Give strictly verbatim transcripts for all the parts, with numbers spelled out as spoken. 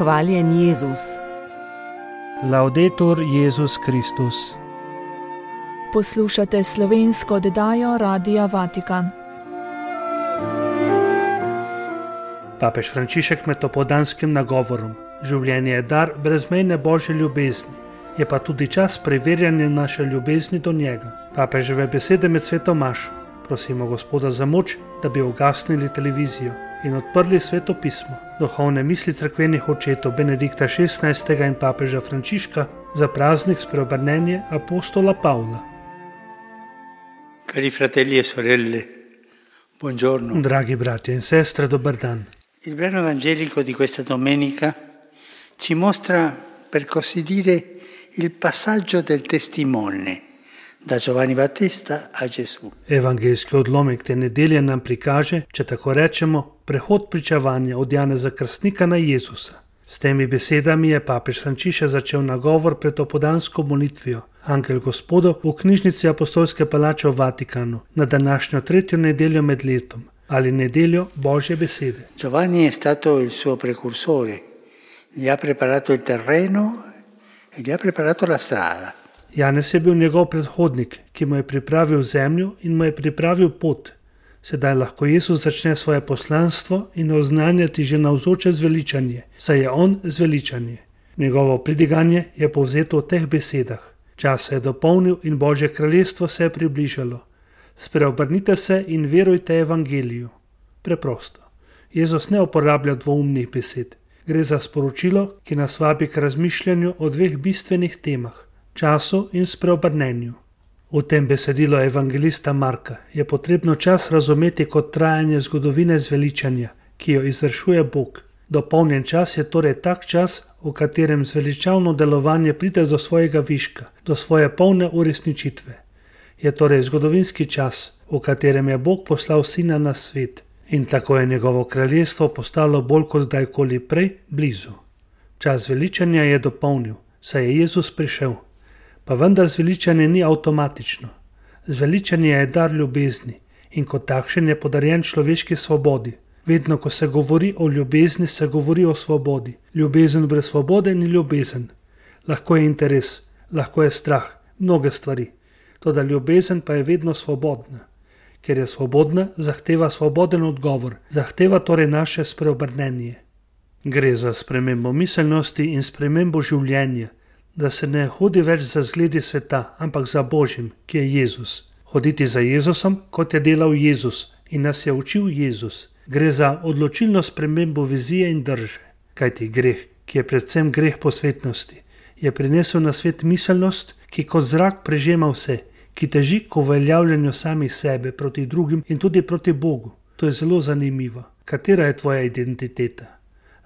Hvaljen Jezus. Laudetur Jezus Kristus. Poslušate slovensko oddajo Radia Vatikan. Papež Frančišek med opoldanskim nagovorom: življenje je dar brezmejne Božje ljubezni, je pa tudi čas preverjanja naše ljubezni do njega. Papeževe besede med sveto mašo: prosimo Gospoda za moč, da bi ugasnili televizijo in odprli sveto pismo, duhovne misli cerkvenih očetov Benedikta šestnajstega in papeža Frančiška za praznik spreobrnenja apostola Pavla. Cari fratelli e sorelle, buongiorno. Dragi bratje in sestre, dober dan. Il brano evangelico di questa domenica ci mostra, per così dire, il passaggio del testimone da Giovanni Battista a Gesù. Evangeljski odlomek te nedelje nam prikaže, če tako rečemo, prehod pričevanja od Janeza Krstnika na Jezusa. S temi besedami je papež Frančišek začel nagovor pred opoldansko molitvijo Angel Gospodov v knjižnici Apostolske palače v Vatikanu na današnjo tretjo nedeljo med letom ali nedeljo Božje besede. Giovanni è stato il suo precursore, gli ha preparato il terreno e gli ha preparato la strada. Janez je bil njegov predhodnik, ki mu je pripravil zemljo in mu je pripravil pot. Sedaj lahko Jezus začne svoje poslanstvo in oznanjati že navzoče zveličanje, saj je on zveličanje. Njegovo pridiganje je povzeto v teh besedah: čas se je dopolnil in Božje kraljestvo se je približalo. Spreobrnite se in verujte evangeliju. Preprosto. Jezus ne uporablja dvoumnih besed. Gre za sporočilo, ki nas vabi k razmišljanju o dveh bistvenih temah: času in spreobrnenju. V tem besedilu evangelista Marka je potrebno čas razumeti kot trajanje zgodovine zveličanja, ki jo izvršuje Bog. Dopolnjen čas je torej tak čas, v katerem zveličavno delovanje pride do svojega viška, do svoje polne uresničitve. Je torej zgodovinski čas, v katerem je Bog poslal Sina na svet in tako je njegovo kraljestvo postalo bolj kot kdajkoli prej blizu. Čas zveličanja je dopolnil, saj je Jezus prišel. Pa vendar zveličanje ni avtomatično. Zveličanje je dar ljubezni in kot takšen je podarjen človeški svobodi. Vedno, ko se govori o ljubezni, se govori o svobodi. Ljubezen brez svobode ni ljubezen. Lahko je interes, lahko je strah, mnoge stvari. Toda ljubezen pa je vedno svobodna. Ker je svobodna, zahteva svoboden odgovor, zahteva torej naše spreobrnenje. Gre za spremembo miselnosti in spremembo življenja, da se ne hodi več za zgledi sveta, ampak za Božjim, ki je Jezus. Hoditi za Jezusom, kot je delal Jezus in nas je učil Jezus. Gre za odločilno spremembo vizije in drže. Kajti greh, ki je predvsem greh posvetnosti, je prinesel na svet miselnost, ki kot zrak prežema vse, ki teži k uveljavljanju samih sebe proti drugim in tudi proti Bogu. To je zelo zanimivo. Katera je tvoja identiteta?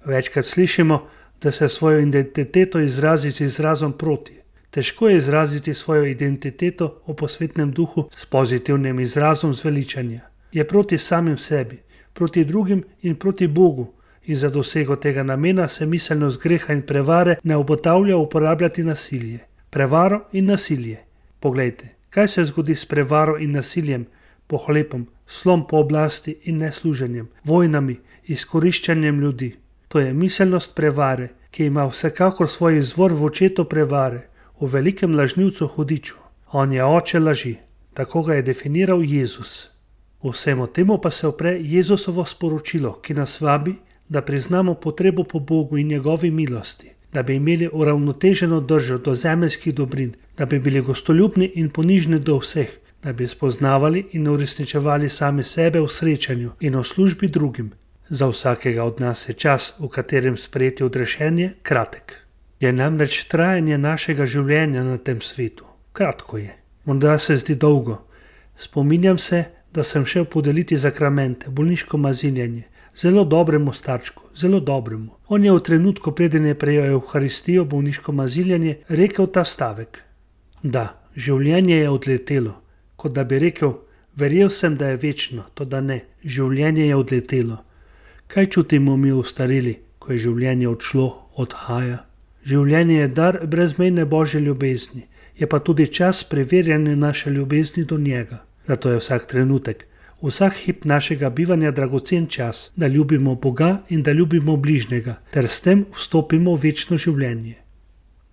Večkrat slišimo, da se svojo identiteto izrazi z izrazom proti. Težko je izraziti svojo identiteto v posvetnem duhu s pozitivnim izrazom zveličanja. Je proti samim sebi, proti drugim in proti Bogu in za dosego tega namena se miselnost greha in prevare ne obotavlja uporabljati nasilje. Prevaro in nasilje. Poglejte, kaj se zgodi s prevaro in nasiljem, pohlepom, slom po oblasti in nesluženjem, vojnami, izkoriščanjem ljudi. To je miselnost prevare, ki ima vsekakor svoj izvor v očetu prevare, v velikem lažnivcu hudiču. On je oče laži, tako ga je definiral Jezus. Vsemu temu pa se opre Jezusovo sporočilo, ki nas vabi, da priznamo potrebo po Bogu in njegovi milosti, da bi imeli uravnoteženo držo do zemeljskih dobrin, da bi bili gostoljubni in ponižni do vseh, da bi spoznavali in uresničevali sami sebe v srečanju in v službi drugim. Za vsakega od nas je čas, v katerem sprejeti odrešenje, kratek. Je namreč trajanje našega življenja na tem svetu. Kratko je. Morda se zdi dolgo. Spominjam se, da sem šel podeliti zakramente, bolniško mazinjanje, zelo dobremu starčku, zelo dobremu. On je v trenutku, preden je prejel Evharistijo, bolniško mazinjanje, rekel ta stavek: da, življenje je odletelo, kot da bi rekel: verjel sem, da je večno, toda ne, življenje je odletelo. Kaj čutimo mi ostareli, ko je življenje odšlo, odhaja? Življenje je dar brezmejne Božje ljubezni, je pa tudi čas preverjanja naše ljubezni do njega. Zato je vsak trenutek, vsak hip našega bivanja dragocen čas, da ljubimo Boga in da ljubimo bližnjega, ter s tem vstopimo v večno življenje.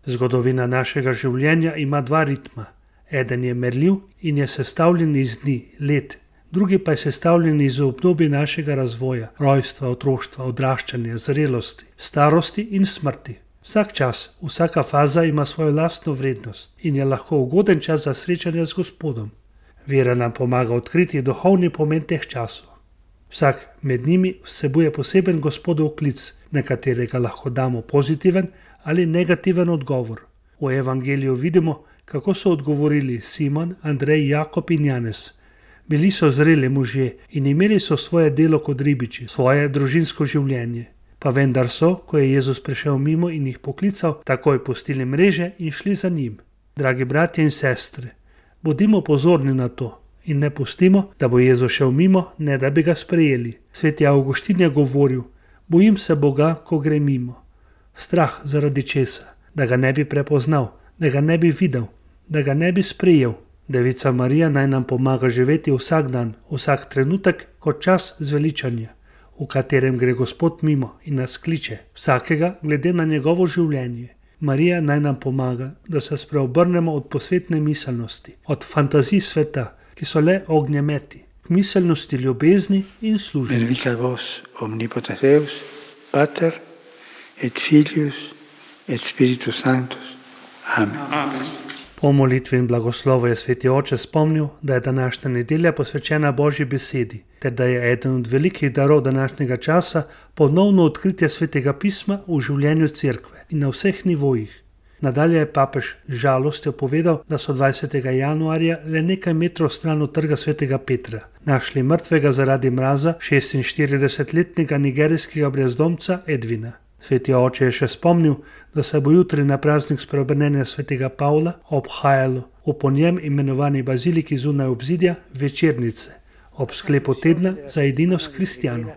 Zgodovina našega življenja ima dva ritma. Eden je merljiv in je sestavljen iz dni, let, drugi pa je sestavljen iz obdobja našega razvoja, rojstva, otroštva, odraščanja, zrelosti, starosti in smrti. Vsak čas, vsaka faza ima svojo lastno vrednost in je lahko ugoden čas za srečanje z Gospodom. Vera nam pomaga odkriti duhovni pomen teh časov. Vsak med njimi vsebuje poseben Gospodov klic, na katerega lahko damo pozitiven ali negativen odgovor. V evangeliju vidimo, kako so odgovorili Simon, Andrej, Jakob in Janez. Bili so zreli možje in imeli so svoje delo kot ribiči, svoje družinsko življenje. Pa vendar so, ko je Jezus prišel mimo in jih poklical, takoj pustili mreže in šli za njim. Dragi bratje in sestre, bodimo pozorni na to in ne pustimo, da bo Jezus šel mimo, ne da bi ga sprejeli. Sveti Avguštin je govoril, bojim se Boga, ko gre mimo. Strah zaradi česa, da ga ne bi prepoznal, da ga ne bi videl, da ga ne bi sprejel. Devica Marija naj nam pomaga živeti vsak dan, vsak trenutek kot čas zveličanja, v katerem gre Gospod mimo in nas kliče, vsakega glede na njegovo življenje. Marija naj nam pomaga, da se spreobrnemo od posvetne miselnosti, od fantazij sveta, ki so le ognjemeti, k miselnosti ljubezni in služenja. Benedicat vos omnipotens Deus, Pater et Filius et Spiritus Sanctus. Amen. Amen. Po molitvi in blagoslovu je sveti oče spomnil, da je današnja nedelja posvečena Božji besedi, ter da je eden od velikih darov današnjega časa ponovno odkritje svetega pisma v življenju cerkve in na vseh nivojih. Nadalje je papež z žalostjo povedal, da so dvajsetega januarja le nekaj metrov stran od trga svetega Petra našli mrtvega zaradi mraza šestinštiridesetletnega nigerijskega brezdomca Edvina. Sveti oče je še spomnil, da se bo jutri na praznik spreobrnenja svetega Pavla obhajalo v po njem imenovani baziliki zunaj obzidja večernice ob sklepu tedna za edinost kristjanov.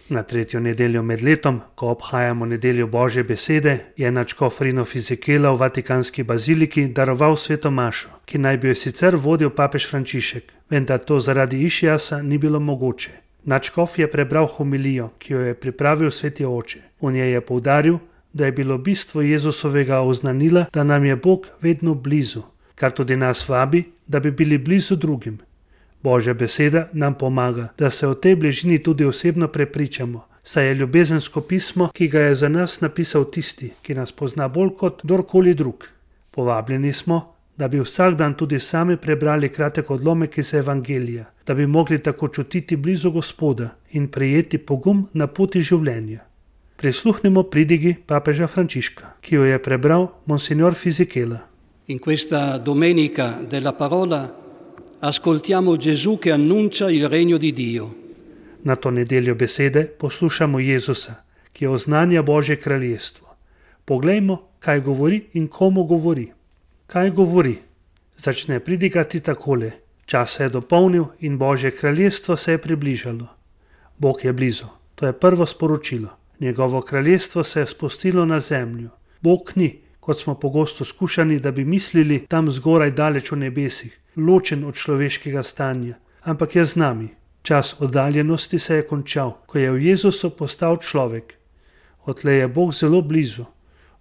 Na tretjo nedeljo med letom, ko obhajamo nedeljo Božje besede, je nadškof Rino Fisichella v Vatikanski baziliki daroval sveto mašo, ki naj bi jo sicer vodil papež Frančišek, vendar to zaradi Išijasa ni bilo mogoče. Nadškof je prebral homilijo, ki jo je pripravil sveti oče. V njej je poudaril, da je bilo bistvo Jezusovega oznanila, da nam je Bog vedno blizu, kar tudi nas vabi, da bi bili blizu drugim. Božja beseda nam pomaga, da se o tej bližini tudi osebno prepričamo, saj je ljubezensko pismo, ki ga je za nas napisal tisti, ki nas pozna bolj kot kdorkoli drug. Povabljeni smo, da bi vsak dan tudi sami prebrali kratek odlomek iz Evangelija, da bi mogli tako čutiti blizu Gospoda in prejeti pogum na poti življenja. Prisluhnimo pridigi papeža Frančiška, ki jo je prebral monsignor Fisichella. In questa domenica della parola ascoltiamo Gesù che annuncia il regno di Dio. Na to nedeljo besede poslušamo Jezusa, ki oznanja Božje kraljestvo. Poglejmo, kaj govori in komu govori. Kaj govori? Začne pridigati takole. Čas se je dopolnil in Božje kraljestvo se je približalo. Bog je blizu. To je prvo sporočilo. Njegovo kraljestvo se je spustilo na zemljo. Bog ni, kot smo pogosto skušani, da bi mislili tam zgoraj daleč v nebesih, ločen od človeškega stanja, ampak je z nami. Čas oddaljenosti se je končal, ko je v Jezusu postal človek. Odtlej je Bog zelo blizu.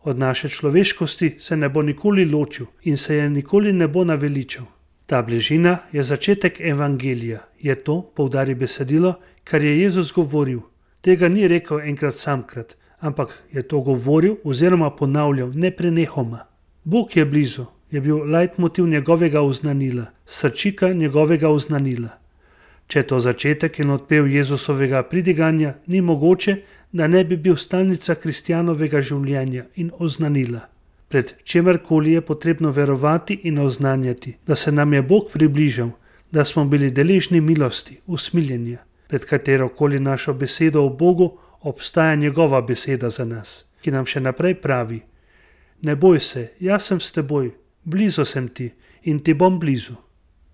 Od naše človeškosti se ne bo nikoli ločil in se je nikoli ne bo naveličal. Ta bližina je začetek evangelija, je to, poudari besedilo, kar je Jezus govoril. Tega ni rekel enkrat samkrat, ampak je to govoril oziroma ponavljal neprenehoma. Bog je blizu, je bil leitmotiv njegovega oznanila, srčika njegovega oznanila. Če je to začetek in odpev Jezusovega pridiganja, ni mogoče, da ne bi bil stalnica kristjanovega življenja in oznanila. Pred čemerkoli je potrebno verovati in oznanjati, da se nam je Bog približal, da smo bili deležni milosti, usmiljenja, pred katerokoli našo besedo o Bogu obstaja njegova beseda za nas, ki nam še naprej pravi: ne boj se, jaz sem s teboj, blizu sem ti in ti bom blizu.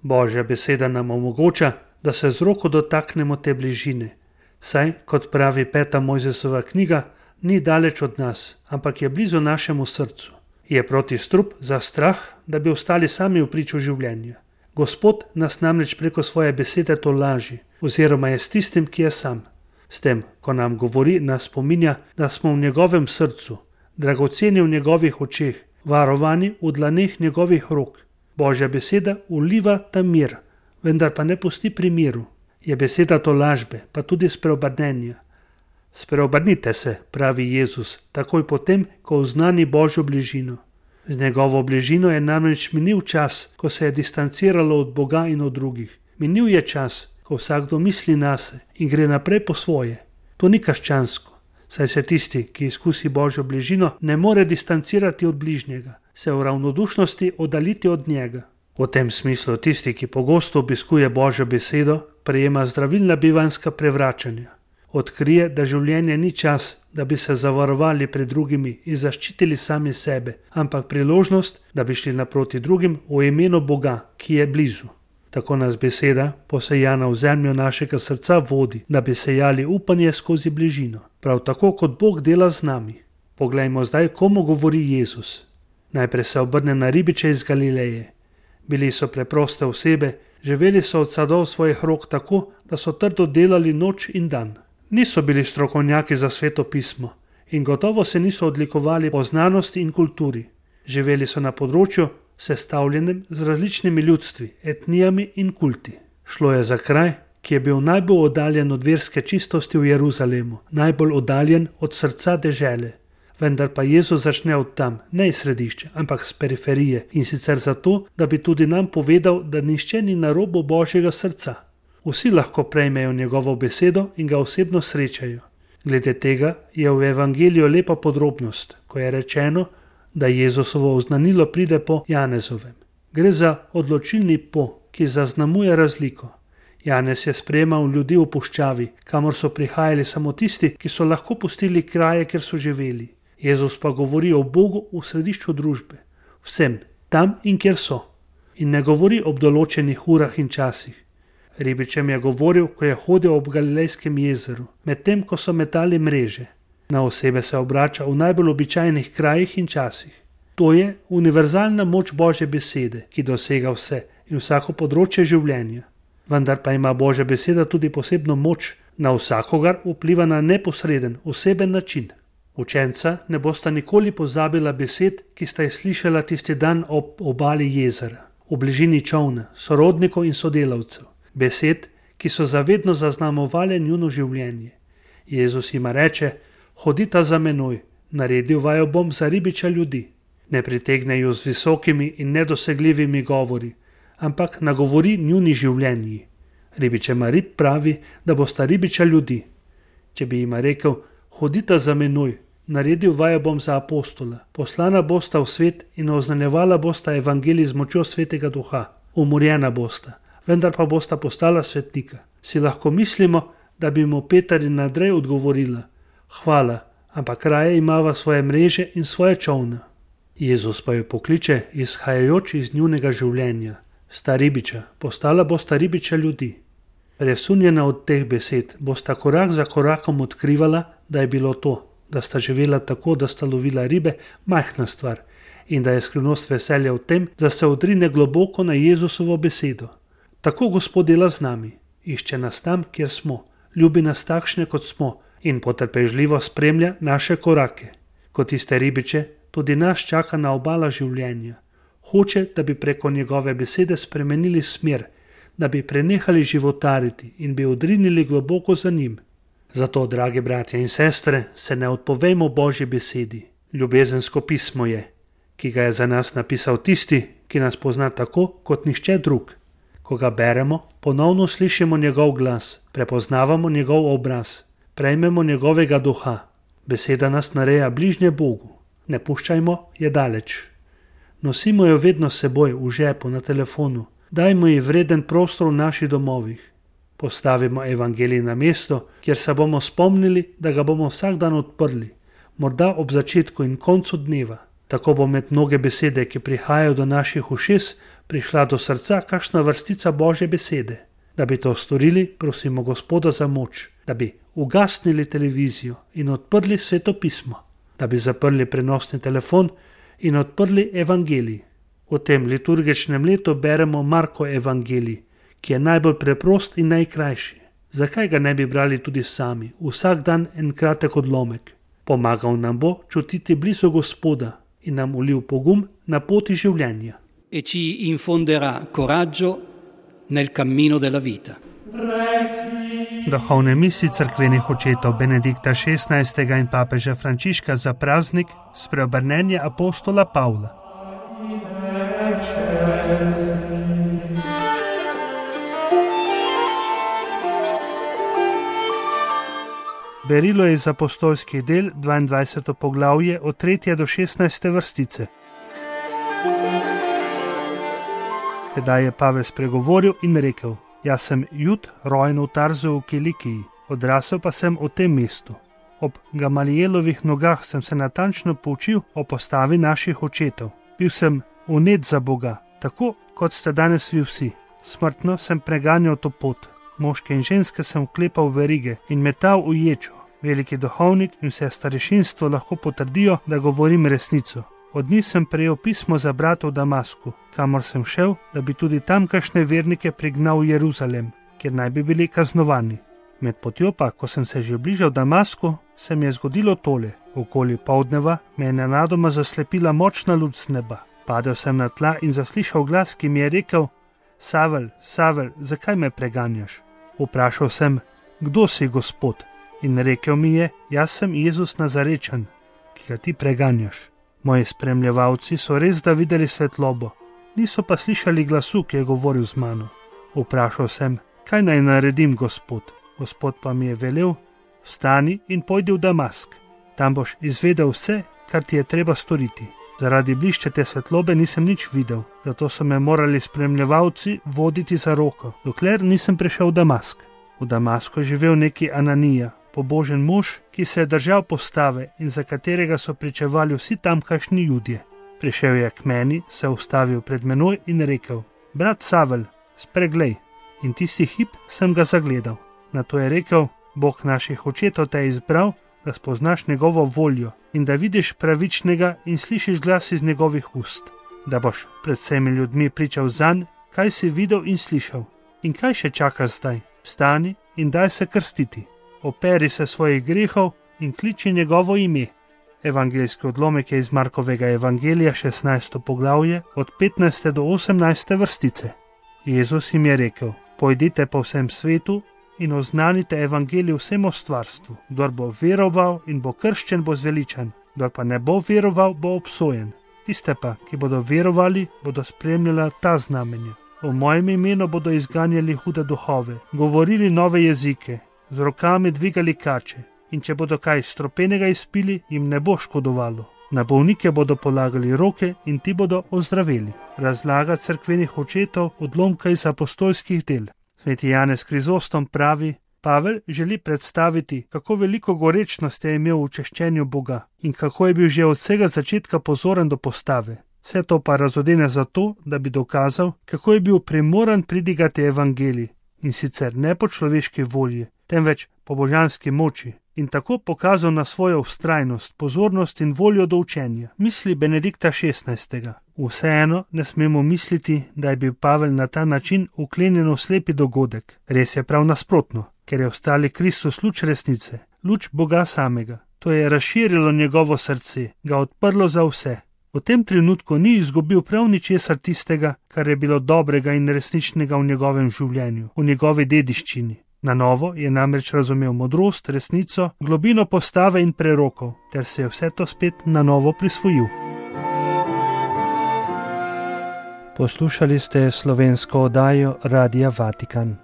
Božja beseda nam omogoča, da se z roko dotaknemo te bližine, saj, kot pravi peta Mojzesova knjiga, ni daleč od nas, ampak je blizu našemu srcu. Je protistrup za strah, da bi ostali sami v priču življenja. Gospod nas namreč preko svoje besede to laži, oziroma je s tistim, ki je sam. S tem, ko nam govori, nas spominja, da smo v njegovem srcu, dragoceni v njegovih očeh, varovani v dlaneh njegovih rok. Božja beseda uliva ta mir, vendar pa ne pusti pri miru. Je beseda to lažbe, pa tudi spreobrnenja. Spreobrnite se, pravi Jezus, takoj potem, ko oznani Božjo bližino. Z njegovo bližino je namreč minil čas, ko se je distanciralo od Boga in od drugih. Minil je čas, ko vsakdo misli nase in gre naprej po svoje. To ni krščansko, saj se tisti, ki izkusi Božjo bližino, ne more distancirati od bližnjega, se v ravnodušnosti oddaliti od njega. V tem smislu tisti, ki pogosto obiskuje Božjo besedo, prejema zdravilna bivanjska prevračanja. Odkrije, da življenje ni čas, da bi se zavarovali pred drugimi in zaščitili sami sebe, ampak priložnost, da bi šli naproti drugim v imenu Boga, ki je blizu. Tako nas beseda, posejana v zemljo našega srca, vodi, da bi sejali upanje skozi bližino, prav tako kot Bog dela z nami. Poglejmo zdaj, komu govori Jezus. Najprej se obrne na ribiče iz Galileje. Bili so preproste osebe, živeli so od sadov svojih rok tako, da so trdo delali noč in dan. Niso bili strokovnjaki za Sveto pismo in gotovo se niso odlikovali po znanosti in kulturi. Živeli so na področju, sestavljenem z različnimi ljudstvi, etnijami in kulti. Šlo je za kraj, ki je bil najbolj oddaljen od verske čistosti v Jeruzalemu, najbolj oddaljen od srca dežele. Vendar pa Jezus začne od tam, ne iz središča, ampak z periferije, in sicer zato, da bi tudi nam povedal, da nihče ni na robu Božjega srca. Vsi lahko prejmejo njegovo besedo in ga osebno srečajo. Glede tega je v evangeliju lepa podrobnost, ko je rečeno, da Jezusovo oznanilo pride po Janezovem. Gre za odločilni po, ki zaznamuje razliko. Janez je sprejemal ljudi v puščavi, kamor so prihajali samo tisti, ki so lahko pustili kraje, kjer so živeli. Jezus pa govori o Bogu v središču družbe, vsem, tam in kjer so. In ne govori ob določenih urah in časih. Ribičem je govoril, ko je hodil ob Galilejskem jezeru, medtem ko so metali mreže. Na osebe se obrača v najbolj običajnih krajih in časih. To je univerzalna moč Božje besede, ki dosega vse in vsako področje življenja. Vendar pa ima Božja beseda tudi posebno moč, na vsakogar vpliva na neposreden, oseben način. Učenca ne bosta nikoli pozabila besed, ki sta jih slišala tisti dan ob obali jezera, v bližini čolna, sorodnikov in sodelavcev. Besed, ki so zavedno zaznamovale njuno življenje. Jezus jima reče, hodita za menoj, naredil vaju bom za ribiča ljudi. Ne pritegne ju z visokimi in nedosegljivimi govori, ampak nagovori njuni življenji. Ribičema rib pravi, da bosta ribiča ljudi. Če bi jima rekel, hodita za menoj, naredil vaju bom za apostola, poslana bosta v svet in oznanjevala bosta evangelij z močjo Svetega Duha, umorjena bosta, vendar pa bosta postala svetnika. Si lahko mislimo, da bi mu Peter in Andrej odgovorila, hvala, ampak raje imava svoje mreže in svoje čolna. Jezus pa jo pokliče, izhajajoč iz njunega življenja. Sta ribiča, postala bosta ribiča ljudi. Presunjena od teh besed, bosta korak za korakom odkrivala, da je bilo to, da sta živela tako, da sta lovila ribe, majhna stvar in da je skrivnost veselja v tem, da se odrine globoko na Jezusovo besedo. Tako Gospod dela z nami, išče nas tam, kjer smo, ljubi nas takšne, kot smo in potrpežljivo spremlja naše korake. Kot tiste ribiče, tudi nas čaka na obala življenja. Hoče, da bi preko njegove besede spremenili smer, da bi prenehali životariti in bi odrinili globoko za njim. Zato, dragi bratje in sestre, se ne odpovejmo Božji besedi. Ljubezensko pismo je, ki ga je za nas napisal tisti, ki nas pozna tako, kot nihče drug. Ko ga beremo, ponovno slišimo njegov glas, prepoznavamo njegov obraz, prejmemo njegovega duha. Beseda nas nareja bližnje Bogu. Ne puščajmo je daleč. Nosimo jo vedno s seboj, v žepu, na telefonu. Dajmo ji vreden prostor v naših domovih. Postavimo evangelij na mesto, kjer se bomo spomnili, da ga bomo vsak dan odprli, morda ob začetku in koncu dneva. Tako bo med mnoge besede, ki prihajajo do naših ušes, prišla do srca kakšna vrstica Božje besede. Da bi to storili, prosimo Gospoda za moč, da bi ugasnili televizijo in odprli Sveto pismo, da bi zaprli prenosni telefon in odprli evangelij. V tem liturgičnem letu beremo Marko evangelij, ki je najbolj preprost in najkrajši. Zakaj ga ne bi brali tudi sami, vsak dan en kratek odlomek? Pomagal nam bo čutiti blizu Gospoda in nam ulil pogum na poti življenja. E ci infonderà coraggio nel cammino della vita. Duhovne misli cerkvenih očetov Benedikta šestnajstega in papeža Frančiška za praznik spreobrnenja apostola Pavla. Berilo je iz apostolskih del dvaindvajseto poglavje od tretje do šestnajste vrstice. Tedaj je Pavel spregovoril in rekel: Jaz sem Jud, rojen v Tarzu v Kilikiji, odrasel pa sem v tem mestu. Ob Gamalielovih nogah sem se natančno poučil o postavi naših očetov. Bil sem vnet za Boga, tako kot ste danes vi vsi. Smrtno sem preganjal to pot. Moške in ženske sem vklepal v verige in metal v ječo. Veliki duhovnik in vse starešinstvo lahko potrdijo, da govorim resnico. Od njih sem prejel pismo za brata v Damasku, kamor sem šel, da bi tudi tamkajšnje vernike prignal v Jeruzalem, kjer naj bi bili kaznovani. Med potjo pa, ko sem se že bližal Damasku, se mi je zgodilo tole. Okoli poldneva me je nenadoma zaslepila močna luč z neba. Padel sem na tla in zaslišal glas, ki mi je rekel: Savel, Savel, zakaj me preganjaš? Vprašal sem: Kdo si, Gospod? In rekel mi je: Jaz sem Jezus Nazarečan, ki ga ti preganjaš. Moji spremljevalci so res da videli svetlobo, niso pa slišali glasu, ki je govoril z mano. Vprašal sem: Kaj naj naredim, Gospod? Gospod pa mi je velel: Vstani in pojdi v Damask. Tam boš izvedel vse, kar ti je treba storiti. Zaradi bliščete svetlobe nisem nič videl, zato so me morali spremljevalci voditi za roko, dokler nisem prišel v Damask. V Damasku je živel neki Ananija, pobožen mož, ki se je držal postave in za katerega so pričevali vsi tamkajšnji Judje. Prišel je k meni, se ustavil pred menoj in rekel: Brat Savel, spreglej. In tisti hip sem ga zagledal. Nato je rekel: Bog naših očetov te je izbral, da spoznaš njegovo voljo in da vidiš pravičnega in slišiš glas iz njegovih ust, da boš pred vsemi ljudmi pričal zanj, kaj si videl in slišal. In kaj še čakaš zdaj? Vstani in daj se krstiti. Operi se svojih grehov in kliči njegovo ime. Evangeljski odlomek je iz Markovega evangelija šestnajsto poglavje od petnajste do osemnajste vrstice. Jezus jim je rekel: Pojdite po vsem svetu in oznanite evangelij vsemu stvarstvu. Kdor bo veroval in bo krščen, bo zveličan, kdor pa ne bo veroval, bo obsojen. Tiste pa, ki bodo verovali, bodo spremljala ta znamenja. V mojem imenu bodo izganjali hude duhove, govorili nove jezike, z rokami dvigali kače, in če bodo kaj stropenega izpili, jim ne bo škodovalo. Na bolnike bodo polagali roke in ti bodo ozdraveli. Razlaga cerkvenih očetov odlomka iz apostolskih del. Sveti Janez Krizostom pravi: Pavel želi predstaviti, kako veliko gorečnost je imel v češčenju Boga in kako je bil že od vsega začetka pozoren do postave. Vse to pa razodene zato, da bi dokazal, kako je bil primoran pridigati evangelij, in sicer ne po človeški volji, temveč po božanski moči, in tako pokazal na svojo vztrajnost, pozornost in voljo do učenja. Misli Benedikta šestnajstega. Vseeno ne smemo misliti, da je bil Pavel na ta način uklenjen v slepi dogodek. Res je prav nasprotno, ker je ostali Kristus luč resnice, luč Boga samega. To je razširilo njegovo srce, ga odprlo za vse. V tem trenutku ni izgubil prav ničesar tistega, kar je bilo dobrega in resničnega v njegovem življenju, v njegovi dediščini. Na novo je namreč razumel modrost, resnico, globino postave in prerokov, ter se je vse to spet na novo prisvojil. Poslušali ste slovensko oddajo Radia Vatikan.